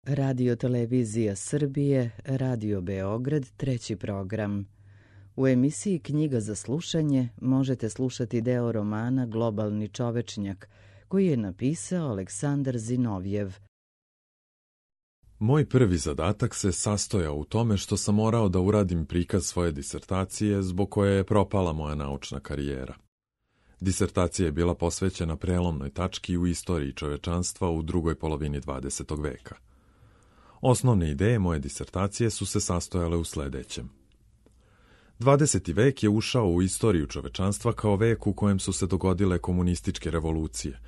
Radio Televizija Srbije, Radio Beograd, treći program. U emisiji Knjiga za slušanje možete slušati deo romana Globalni čovečnjak, koji je napisao Aleksandar Zinovjev. Moj prvi zadatak se sastojao u tome što sam morao da uradim prikaz svoje disertacije zbog koje je propala moja naučna karijera. Disertacija je bila posvećena prelomnoj tački u istoriji čovečanstva u drugoj polovini 20. veka. Osnovne ideje moje disertacije su se sastojale u sledećem. 20. vek je ušao u istoriju čovečanstva kao vek u kojem su se dogodile komunističke revolucije.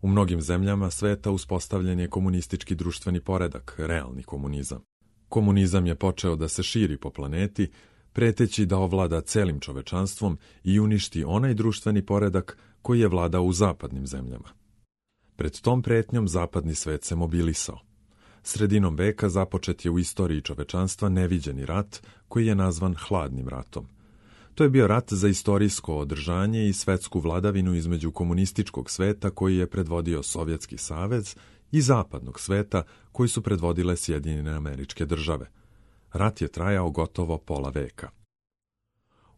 U mnogim zemljama sveta uspostavljen je komunistički društveni poredak, realni komunizam. Komunizam je počeo da se širi po planeti, preteći da ovlada celim čovečanstvom i uništi onaj društveni poredak koji je vladao u zapadnim zemljama. Pred tom pretnjom zapadni svet se mobilisao. Sredinom veka započet je u istoriji čovečanstva neviđeni rat koji je nazvan Hladnim ratom. To je bio rat za istorijsko održanje i svetsku vladavinu između komunističkog sveta koji je predvodio Sovjetski savez i zapadnog sveta koji su predvodile Sjedinjene Američke Države. Rat je trajao gotovo pola veka.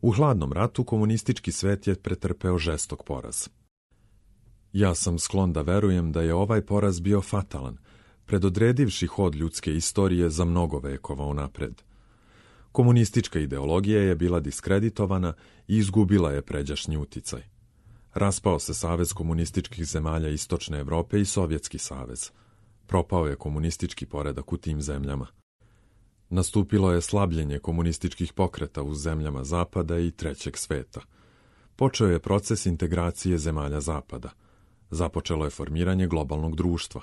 U Hladnom ratu komunistički svet je pretrpeo žestok poraz. Ja sam sklon da verujem da je ovaj poraz bio fatalan, predodredivši hod ljudske istorije za mnogo vekova unapred. Komunistička ideologija je bila diskreditovana i izgubila je pređašnji uticaj. Raspao se Savez komunističkih zemalja Istočne Evrope i Sovjetski savez. Propao je komunistički poredak u tim zemljama. Nastupilo je slabljenje komunističkih pokreta u zemljama Zapada i Trećeg sveta. Počeo je proces integracije zemalja Zapada. Započelo je formiranje globalnog društva.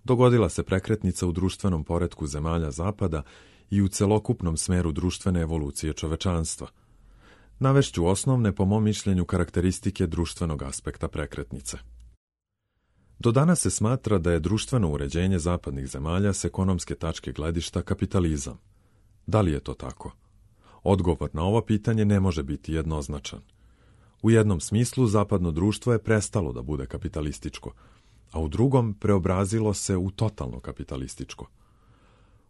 Dogodila se prekretnica u društvenom poretku zemalja Zapada i u celokupnom smeru društvene evolucije čovečanstva. Navešću osnovne, po mom mišljenju, karakteristike društvenog aspekta prekretnice. Do danas se smatra da je društveno uređenje zapadnih zemalja s ekonomske tačke gledišta kapitalizam. Da li je to tako? Odgovor na ovo pitanje ne može biti jednoznačan. U jednom smislu zapadno društvo je prestalo da bude kapitalističko, a u drugom preobrazilo se u totalno kapitalističko.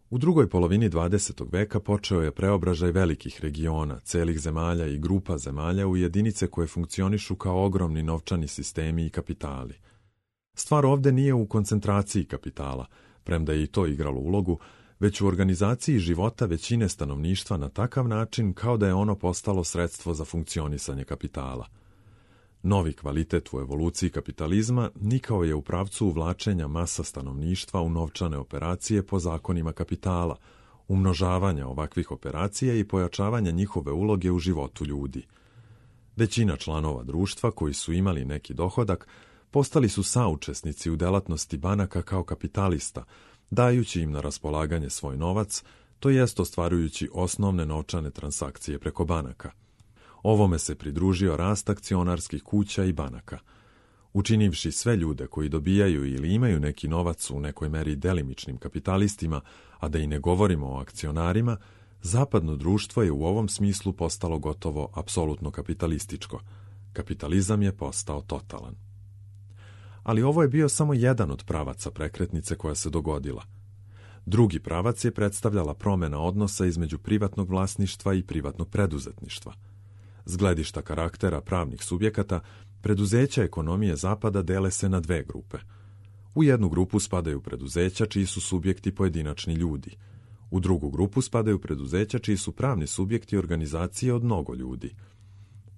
U drugoj polovini 20. veka počeo je preobražaj velikih regiona, celih zemalja i grupa zemalja u jedinice koje funkcionišu kao ogromni novčani sistemi i kapitali. Stvar ovde nije u koncentraciji kapitala, premda je i to igralo ulogu, već u organizaciji života većine stanovništva na takav način kao da je ono postalo sredstvo za funkcionisanje kapitala. Novi kvalitet u evoluciji kapitalizma nikao je u pravcu uvlačenja masa stanovništva u novčane operacije po zakonima kapitala, umnožavanja ovakvih operacija i pojačavanja njihove uloge u životu ljudi. Većina članova društva koji su imali neki dohodak postali su saučesnici u delatnosti banaka kao kapitalista, dajući im na raspolaganje svoj novac, to jest ostvarujući osnovne novčane transakcije preko banaka. Ovome se pridružio rast akcionarskih kuća i banaka. Učinivši sve ljude koji dobijaju ili imaju neki novac u nekoj meri delimičnim kapitalistima, a da i ne govorimo o akcionarima, zapadno društvo je u ovom smislu postalo gotovo apsolutno kapitalističko. Kapitalizam je postao totalan. Ali ovo je bio samo jedan od pravaca prekretnice koja se dogodila. Drugi pravac je predstavljala promjena odnosa između privatnog vlasništva i privatnog preduzetništva. S gledišta karaktera pravnih subjekata, preduzeća ekonomije Zapada dele se na dve grupe. U jednu grupu spadaju preduzeća čiji su subjekti pojedinačni ljudi. U drugu grupu spadaju preduzeća čiji su pravni subjekti organizacije od mnogo ljudi.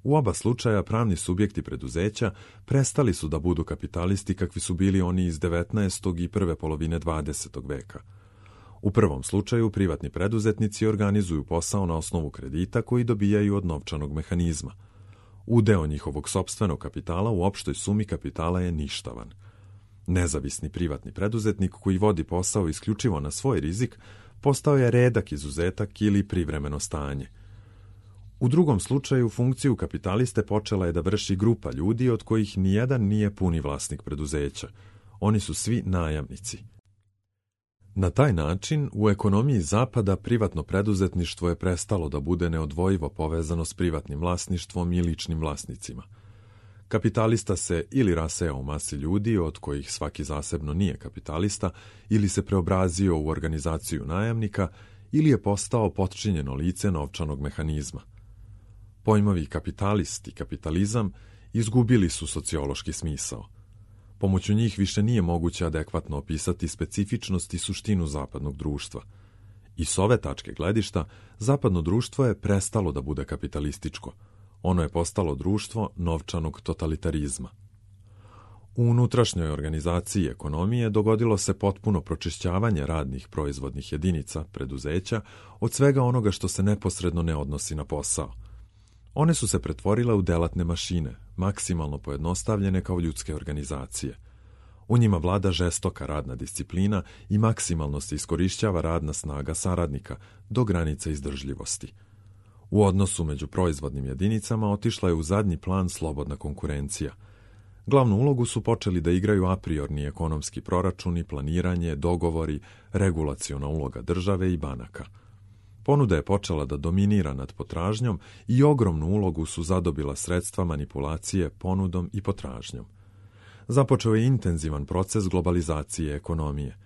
U oba slučaja pravni subjekti preduzeća prestali su da budu kapitalisti kakvi su bili oni iz 19. i prve polovine 20. veka. U prvom slučaju privatni preduzetnici organizuju posao na osnovu kredita koji dobijaju od novčanog mehanizma. Udeo njihovog sopstvenog kapitala u opštoj sumi kapitala je ništavan. Nezavisni privatni preduzetnik koji vodi posao isključivo na svoj rizik postao je redak izuzetak ili privremeno stanje. U drugom slučaju funkciju kapitaliste počela je da vrši grupa ljudi od kojih nijedan nije puni vlasnik preduzeća. Oni su svi najamnici. Na taj način, u ekonomiji Zapada privatno preduzetništvo je prestalo da bude neodvojivo povezano s privatnim vlasništvom i ličnim vlasnicima. Kapitalista se ili raseo u masi ljudi, od kojih svaki zasebno nije kapitalista, ili se preobrazio u organizaciju najamnika, ili je postao potčinjeno lice novčanog mehanizma. Pojmovi kapitalist i kapitalizam izgubili su sociološki smisao. Pomoću njih više nije moguće adekvatno opisati specifičnost i suštinu zapadnog društva. I s ove tačke gledišta, zapadno društvo je prestalo da bude kapitalističko. Ono je postalo društvo novčanog totalitarizma. U unutrašnjoj organizaciji ekonomije dogodilo se potpuno pročišćavanje radnih proizvodnih jedinica, preduzeća, od svega onoga što se neposredno ne odnosi na posao. One su se pretvorile u delatne mašine, maksimalno pojednostavljene kao ljudske organizacije. U njima vlada žestoka radna disciplina i maksimalno se iskorišćava radna snaga saradnika do granice izdržljivosti. U odnosu među proizvodnim jedinicama otišla je u zadnji plan slobodna konkurencija. Glavnu ulogu su počeli da igraju apriorni ekonomski proračuni, planiranje, dogovori, regulaciona uloga države i banaka. Ponuda je počela da dominira nad potražnjom i ogromnu ulogu su zadobila sredstva manipulacije ponudom i potražnjom. Započeo je intenzivan proces globalizacije ekonomije.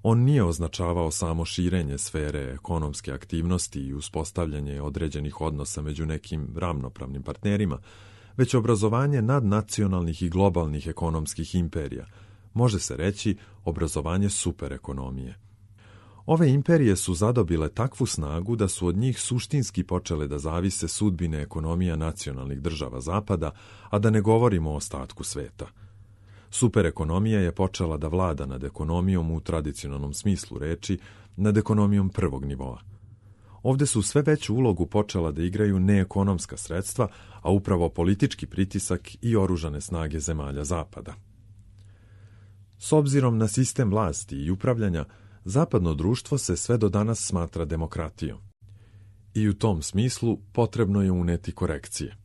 On nije označavao samo širenje sfere ekonomske aktivnosti i uspostavljanje određenih odnosa među nekim ravnopravnim partnerima, već obrazovanje nadnacionalnih i globalnih ekonomskih imperija, može se reći obrazovanje superekonomije. Ove imperije su zadobile takvu snagu da su od njih suštinski počele da zavise sudbine ekonomija nacionalnih država Zapada, a da ne govorimo o ostatku sveta. Superekonomija je počela da vlada nad ekonomijom u tradicionalnom smislu reči, nad ekonomijom prvog nivoa. Ovde su sve veću ulogu počela da igraju neekonomska sredstva, a upravo politički pritisak i oružane snage zemalja Zapada. S obzirom na sistem vlasti i upravljanja, zapadno društvo se sve do danas smatra demokratijom. I u tom smislu potrebno je uneti korekcije.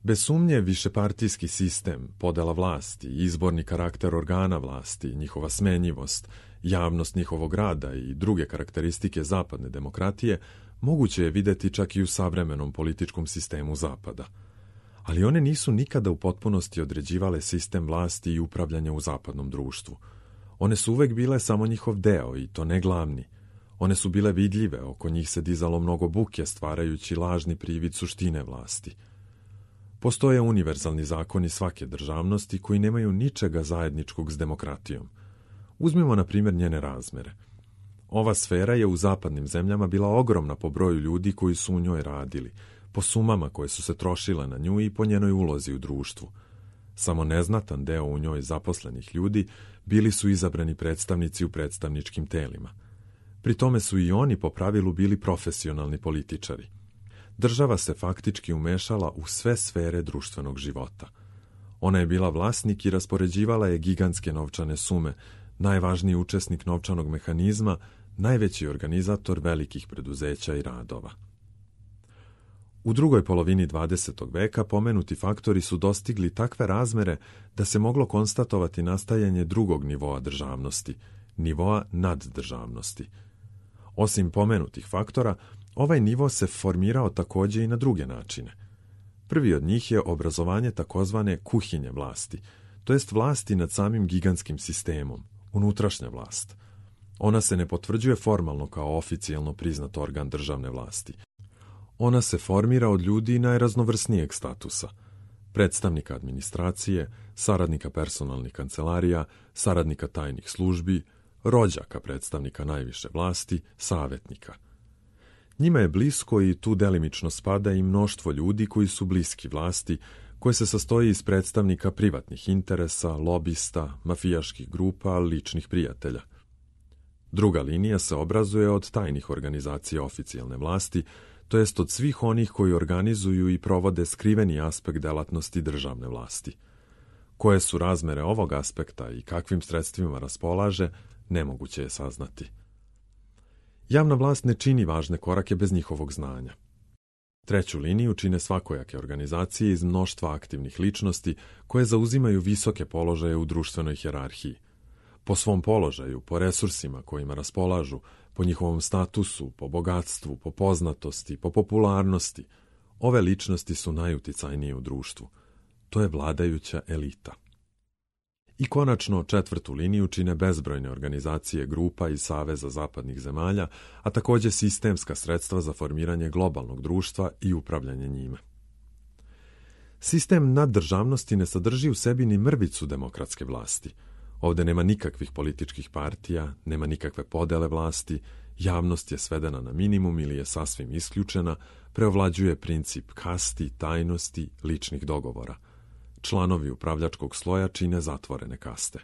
Bez sumnje, višepartijski sistem, podela vlasti, izborni karakter organa vlasti, njihova smenjivost, javnost njihovog rada i druge karakteristike zapadne demokratije moguće je videti čak i u savremenom političkom sistemu Zapada. Ali one nisu nikada u potpunosti određivale sistem vlasti i upravljanja u zapadnom društvu. One su uvek bile samo njihov deo i to ne glavni. One su bile vidljive, oko njih se dizalo mnogo buke stvarajući lažni privid suštine vlasti. Postoje univerzalni zakoni svake državnosti koji nemaju ničega zajedničkog s demokratijom. Uzmimo, na primjer, njene razmere. Ova sfera je u zapadnim zemljama bila ogromna po broju ljudi koji su u njoj radili, po sumama koje su se trošile na nju i po njenoj ulozi u društvu. Samo neznatan deo u njoj zaposlenih ljudi bili su izabrani predstavnici u predstavničkim telima. Pri tome su i oni po pravilu bili profesionalni političari. Država se faktički umešala u sve sfere društvenog života. Ona je bila vlasnik i raspoređivala je gigantske novčane sume, najvažniji učesnik novčanog mehanizma, najveći organizator velikih preduzeća i radova. U drugoj polovini 20. veka pomenuti faktori su dostigli takve razmere da se moglo konstatovati nastajanje drugog nivoa državnosti, nivoa naddržavnosti. Osim pomenutih faktora, ovaj nivo se formirao takođe i na druge načine. Prvi od njih je obrazovanje takozvane kuhinje vlasti, to jest vlasti nad samim gigantskim sistemom, unutrašnja vlast. Ona se ne potvrđuje formalno kao oficijalno priznat organ državne vlasti. Ona se formira od ljudi najraznovrsnijeg statusa, predstavnika administracije, saradnika personalnih kancelarija, saradnika tajnih službi, rođaka predstavnika najviše vlasti, savetnika. Njima je blisko i tu delimično spada i mnoštvo ljudi koji su bliski vlasti, koje se sastoji iz predstavnika privatnih interesa, lobista, mafijaških grupa, ličnih prijatelja. Druga linija se obrazuje od tajnih organizacija oficijalne vlasti, to jest od svih onih koji organizuju i provode skriveni aspekt delatnosti državne vlasti. Koje su razmere ovog aspekta i kakvim sredstvima raspolaže, nemoguće je saznati. Javna vlast ne čini važne korake bez njihovog znanja. Treću liniju čine svakojake organizacije iz mnoštva aktivnih ličnosti koje zauzimaju visoke položaje u društvenoj hijerarhiji. Po svom položaju, po resursima kojima raspolažu, po njihovom statusu, po bogatstvu, po poznatosti, po popularnosti, ove ličnosti su najuticajnije u društvu. to je vladajuća elita. I konačno, četvrtu liniju čine bezbrojne organizacije grupa i saveza zapadnih zemalja, a također sistemska sredstva za formiranje globalnog društva i upravljanje njime. Sistem naddržavnosti ne sadrži u sebi ni mrvicu demokratske vlasti. Ovdje nema nikakvih političkih partija, nema nikakve podele vlasti, javnost je svedena na minimum ili je sasvim isključena, preovlađuje princip kasti, tajnosti, ličnih dogovora. Članovi upravljačkog sloja čine zatvorene kaste.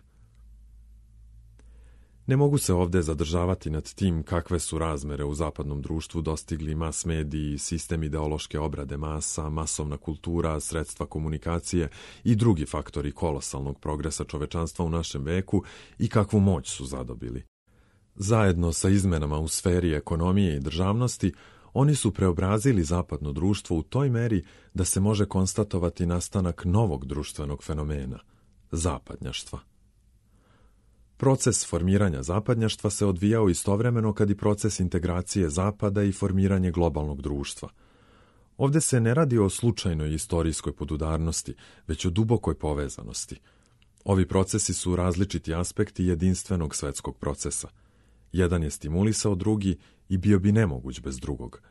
Ne mogu se ovdje zadržavati nad tim kakve su razmere u zapadnom društvu dostigli mas mediji, sistem ideološke obrade masa, masovna kultura, sredstva komunikacije i drugi faktori kolosalnog progresa čovečanstva u našem veku i kakvu moć su zadobili. Zajedno sa izmenama u sferi ekonomije i državnosti, oni su preobrazili zapadno društvo u toj meri da se može konstatovati nastanak novog društvenog fenomena – zapadnjaštva. Proces formiranja zapadnjaštva se odvijao istovremeno kad i proces integracije zapada i formiranje globalnog društva. Ovdje se ne radi o slučajnoj istorijskoj podudarnosti, već o dubokoj povezanosti. Ovi procesi su različiti aspekti jedinstvenog svetskog procesa. Jedan je stimulisao drugi i bio bi nemoguć bez drugog.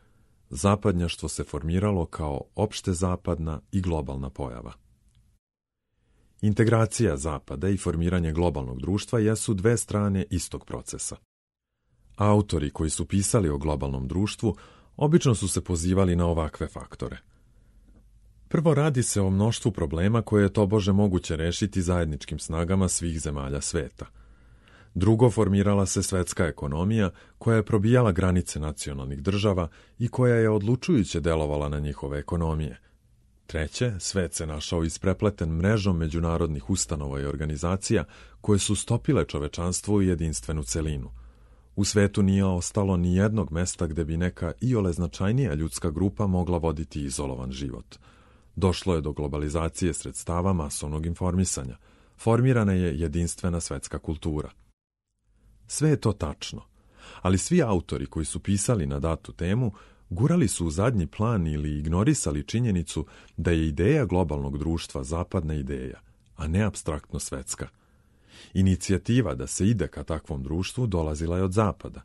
Zapadnjaštvo se formiralo kao opšte zapadna i globalna pojava. Integracija zapada i formiranje globalnog društva jesu dve strane istog procesa. Autori koji su pisali o globalnom društvu obično su se pozivali na ovakve faktore. Prvo, radi se o mnoštvu problema koje je tobože moguće rešiti zajedničkim snagama svih zemalja sveta. Drugo, formirala se svetska ekonomija koja je probijala granice nacionalnih država i koja je odlučujuće delovala na njihove ekonomije. Treće, svet se našao isprepleten mrežom međunarodnih ustanova i organizacija koje su stopile čovečanstvo u jedinstvenu celinu. U svetu nije ostalo ni jednog mesta gde bi neka iole značajnija ljudska grupa mogla voditi izolovan život. Došlo je do globalizacije sredstava masovnog informisanja. Formirana je jedinstvena svetska kultura. Sve je to tačno, ali svi autori koji su pisali na datu temu gurali su u zadnji plan ili ignorisali činjenicu da je ideja globalnog društva zapadna ideja, a ne apstraktno svetska. Inicijativa da se ide ka takvom društvu dolazila je od zapada.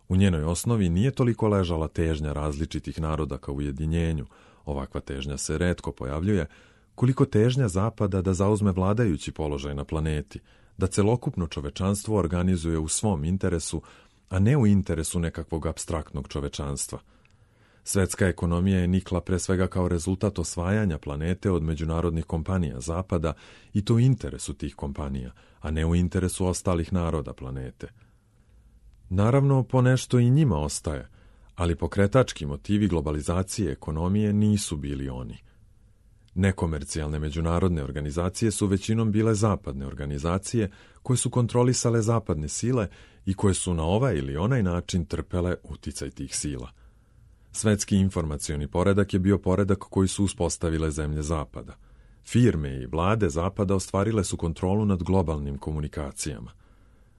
U njenoj osnovi nije toliko ležala težnja različitih naroda ka ujedinjenju, ovakva težnja se retko pojavljuje, koliko težnja zapada da zauzme vladajući položaj na planeti, da celokupno čovečanstvo organizuje u svom interesu, a ne u interesu nekakvog apstraktnog čovečanstva. Svetska ekonomija je nikla pre svega kao rezultat osvajanja planete od međunarodnih kompanija zapada i to u interesu tih kompanija, a ne u interesu ostalih naroda planete. Naravno, ponešto i njima ostaje, ali pokretački motivi globalizacije ekonomije nisu bili oni. Nekomercijalne međunarodne organizacije su većinom bile zapadne organizacije koje su kontrolisale zapadne sile i koje su na ovaj ili onaj način trpele uticaj tih sila. Svetski informacioni poredak je bio poredak koji su uspostavile zemlje zapada. Firme i vlade zapada ostvarile su kontrolu nad globalnim komunikacijama.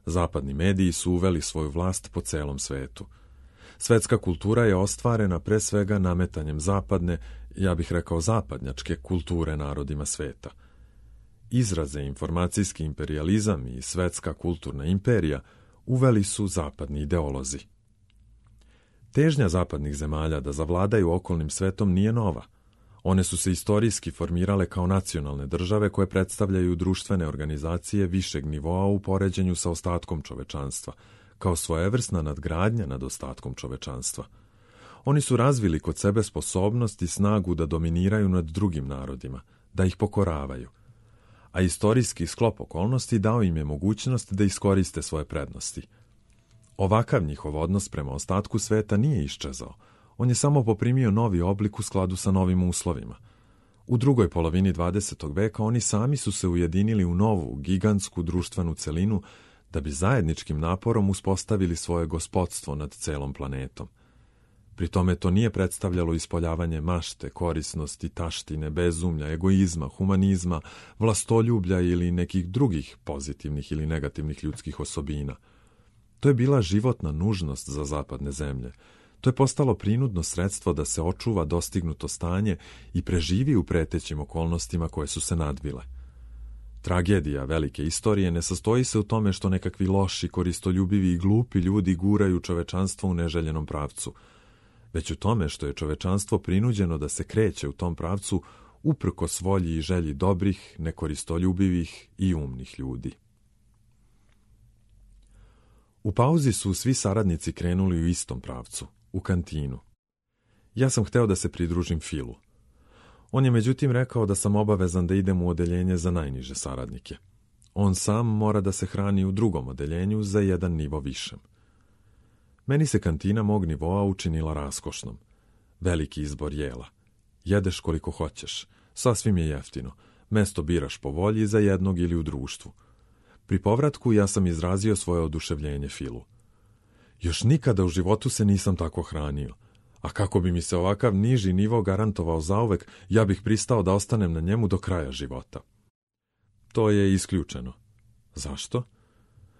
Zapadni mediji su uveli svoju vlast po celom svetu. Svetska kultura je ostvarena pre svega nametanjem zapadne, ja bih rekao zapadnjačke, kulture narodima sveta. Izraze informacijski imperijalizam i svetska kulturna imperija uveli su zapadni ideolozi. Težnja zapadnih zemalja da zavladaju okolnim svetom nije nova. One su se istorijski formirale kao nacionalne države koje predstavljaju društvene organizacije višeg nivoa u poređenju sa ostatkom čovečanstva, kao svojevrsna nadgradnja nad ostatkom čovečanstva. Oni su razvili kod sebe sposobnost i snagu da dominiraju nad drugim narodima, da ih pokoravaju. A istorijski sklop okolnosti dao im je mogućnost da iskoriste svoje prednosti. Ovakav njihov odnos prema ostatku sveta nije iščezao. On je samo poprimio novi oblik u skladu sa novim uslovima. U drugoj polovini 20. veka oni sami su se ujedinili u novu, gigantsku društvenu celinu da bi zajedničkim naporom uspostavili svoje gospodstvo nad celom planetom. Pri tome to nije predstavljalo ispoljavanje mašte, korisnosti, taštine, bezumlja, egoizma, humanizma, vlastoljublja ili nekih drugih pozitivnih ili negativnih ljudskih osobina. To je bila životna nužnost za zapadne zemlje. To je postalo prinudno sredstvo da se očuva dostignuto stanje i preživi u pretećim okolnostima koje su se nadvile. Tragedija velike istorije ne sastoji se u tome što nekakvi loši, koristoljubivi i glupi ljudi guraju čovečanstvo u neželjenom pravcu, već u tome što je čovečanstvo prinuđeno da se kreće u tom pravcu uprkos volji i želji dobrih, nekoristoljubivih i umnih ljudi. U pauzi su svi saradnici krenuli u istom pravcu, u kantinu. Ja sam hteo da se pridružim Filu. On je međutim rekao da sam obavezan da idem u odeljenje za najniže saradnike. On sam mora da se hrani u drugom odeljenju za jedan nivo višem. Meni se kantina mog nivoa učinila raskošnom. Veliki izbor jela. Jedeš koliko hoćeš. Sasvim je jeftino. Mesto biraš po volji za jednog ili u društvu. Pri povratku ja sam izrazio svoje oduševljenje Filu. Još nikada u životu se nisam tako hranio. A kako bi mi se ovakav niži nivo garantovao zauvek, ja bih pristao da ostanem na njemu do kraja života. To je isključeno. Zašto?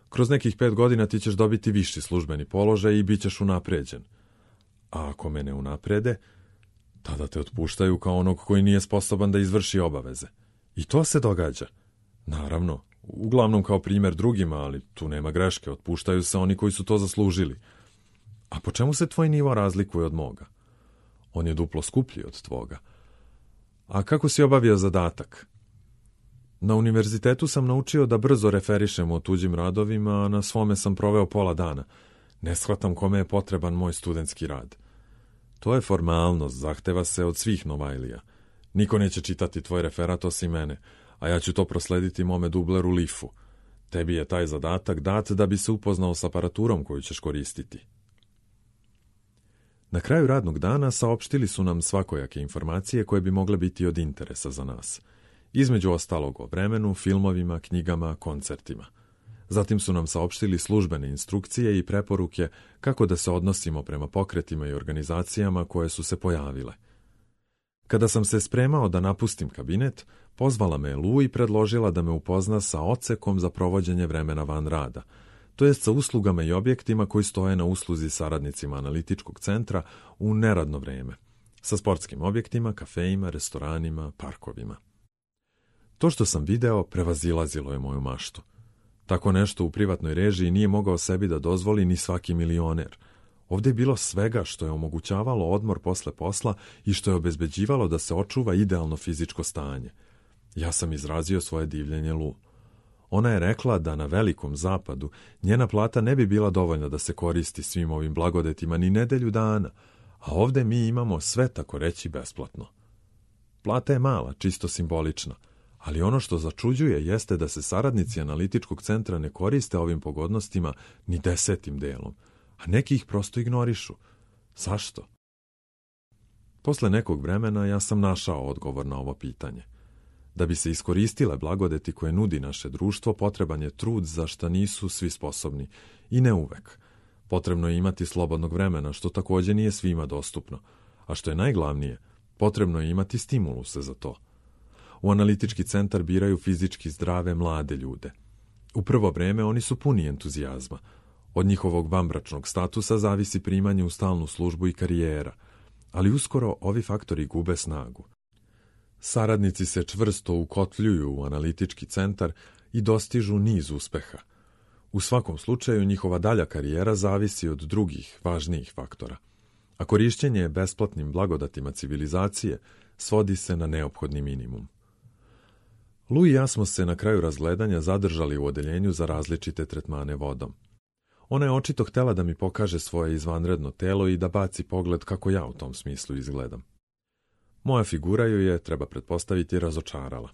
Kroz nekih 5 godina ti ćeš dobiti viši službeni položaj i bit ćeš unapređen. A ako me ne unaprede, tada te otpuštaju kao onog koji nije sposoban da izvrši obaveze. I to se događa. Naravno, uglavnom kao primjer drugima, ali tu nema greške, otpuštaju se oni koji su to zaslužili. A po čemu se tvoj nivo razlikuje od moga? On je duplo skuplji od tvoga. A kako si obavio zadatak? Na univerzitetu sam naučio da brzo referišem o tuđim radovima, a na svome sam proveo pola dana. Ne shvatam kome je potreban moj studentski rad. To je formalnost, zahteva se od svih Novajlija. Niko neće čitati tvoj referat osim mene, a ja ću to proslediti mome dubleru Lifu. Tebi je taj zadatak dat da bi se upoznao s aparaturom koju ćeš koristiti. Na kraju radnog dana saopštili su nam svakojake informacije koje bi mogle biti od interesa za nas. Između ostalog o vremenu, filmovima, knjigama, koncertima. Zatim su nam saopštili službene instrukcije i preporuke kako da se odnosimo prema pokretima i organizacijama koje su se pojavile. Kada sam se spremao da napustim kabinet, pozvala me Lu i predložila da me upozna sa odsekom za provođenje vremena van rada, to jest sa uslugama i objektima koji stoje na usluzi saradnicima analitičkog centra u neradno vreme, sa sportskim objektima, kafejima, restoranima, parkovima. To što sam video prevazilazilo je moju maštu. Tako nešto u privatnoj režiji nije mogao sebi da dozvoli ni svaki milioner. Ovdje je bilo svega što je omogućavalo odmor posle posla i što je obezbeđivalo da se očuva idealno fizičko stanje. Ja sam izrazio svoje divljenje Lu. Ona je rekla da na Velikom zapadu njena plata ne bi bila dovoljna da se koristi svim ovim blagodetima ni nedelju dana, a ovdje mi imamo sve tako reći besplatno. Plata je mala, čisto simbolična, ali ono što začuđuje jeste da se saradnici analitičkog centra ne koriste ovim pogodnostima ni 10 delom, a neki ih prosto ignorišu. Zašto? Posle nekog vremena ja sam našao odgovor na ovo pitanje. Da bi se iskoristile blagodeti koje nudi naše društvo, potreban je trud za šta nisu svi sposobni, i ne uvek. Potrebno je imati slobodnog vremena, što također nije svima dostupno, a što je najglavnije, potrebno je imati stimuluse za to. U analitički centar biraju fizički zdrave mlade ljude. U prvo vreme oni su puni entuzijazma. Od njihovog vanbračnog statusa zavisi primanje u stalnu službu i karijera, ali uskoro ovi faktori gube snagu. Saradnici se čvrsto ukotljuju u analitički centar i dostižu niz uspeha. U svakom slučaju njihova dalja karijera zavisi od drugih, važnijih faktora. A korišćenje besplatnim blagodatima civilizacije svodi se na neophodni minimum. Lu i ja smo se na kraju razgledanja zadržali u odeljenju za različite tretmane vodom. Ona je očito htjela da mi pokaže svoje izvanredno telo i da baci pogled kako ja u tom smislu izgledam. Moja figura ju je, treba pretpostaviti, razočarala.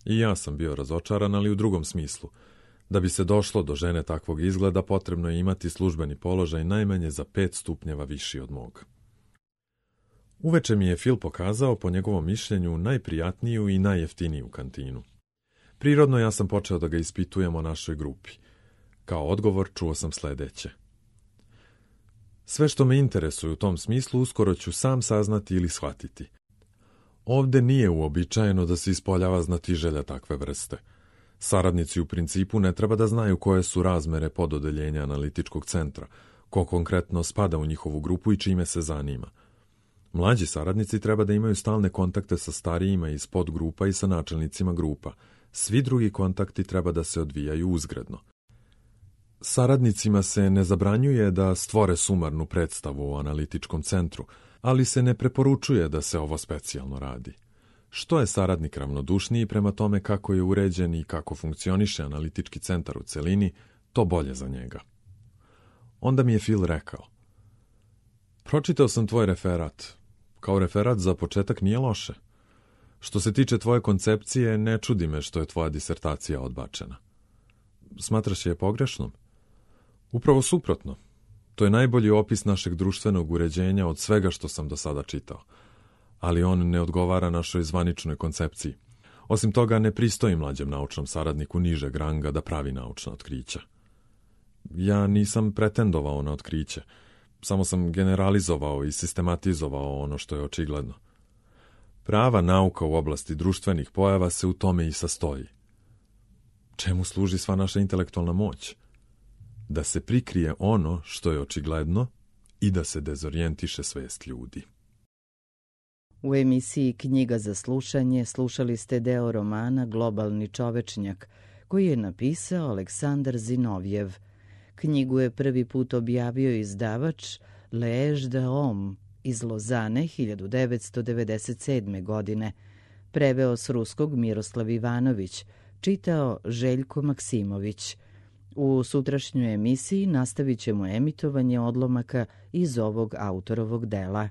I ja sam bio razočaran, ali u drugom smislu. Da bi se došlo do žene takvog izgleda, potrebno je imati službeni položaj najmanje za 5 stupnjeva viši od moga. Uveče mi je Phil pokazao, po njegovom mišljenju, najprijatniju i najjeftiniju kantinu. Prirodno ja sam počeo da ga ispitujem o našoj grupi. Kao odgovor čuo sam sledeće. Sve što me interesuje u tom smislu uskoro ću sam saznati ili shvatiti. Ovde nije uobičajeno da se ispoljava znatiželja takve vrste. Saradnici u principu ne treba da znaju koje su razmere pododeljenja analitičkog centra, ko konkretno spada u njihovu grupu i čime se zanima. Mlađi saradnici treba da imaju stalne kontakte sa starijima iz podgrupa i sa načelnicima grupa. Svi drugi kontakti treba da se odvijaju uzgredno. Saradnicima se ne zabranjuje da stvore sumarnu predstavu o analitičkom centru, ali se ne preporučuje da se ovo specijalno radi. Što je saradnik ravnodušniji prema tome kako je uređen i kako funkcioniše analitički centar u celini, to bolje za njega. Onda mi je Phil rekao: pročitao sam tvoj referat. Kao referat za početak nije loše. Što se tiče tvoje koncepcije, ne čudi me što je tvoja disertacija odbačena. Smatraš je pogrešnom? Upravo suprotno. To je najbolji opis našeg društvenog uređenja od svega što sam do sada čitao. Ali on ne odgovara našoj zvaničnoj koncepciji. Osim toga, ne pristoji mlađem naučnom saradniku nižeg ranga da pravi naučna otkrića. Ja nisam pretendovao na otkriće. Samo sam generalizovao i sistematizovao ono što je očigledno. Prava nauka u oblasti društvenih pojava se u tome i sastoji. Čemu služi sva naša intelektualna moć? Da se prikrije ono što je očigledno i da se dezorijentiše svest ljudi. U emisiji Knjiga za slušanje slušali ste deo romana Globalni čovečnjak, koji je napisao Aleksandar Zinovjev. Knjigu je prvi put objavio izdavač L'Age de Homme iz Lozane 1997. godine. Preveo s ruskog Miroslav Ivanović, čitao Željko Maksimović. U sutrašnjoj emisiji nastavit ćemo emitovanje odlomaka iz ovog autorovog dela.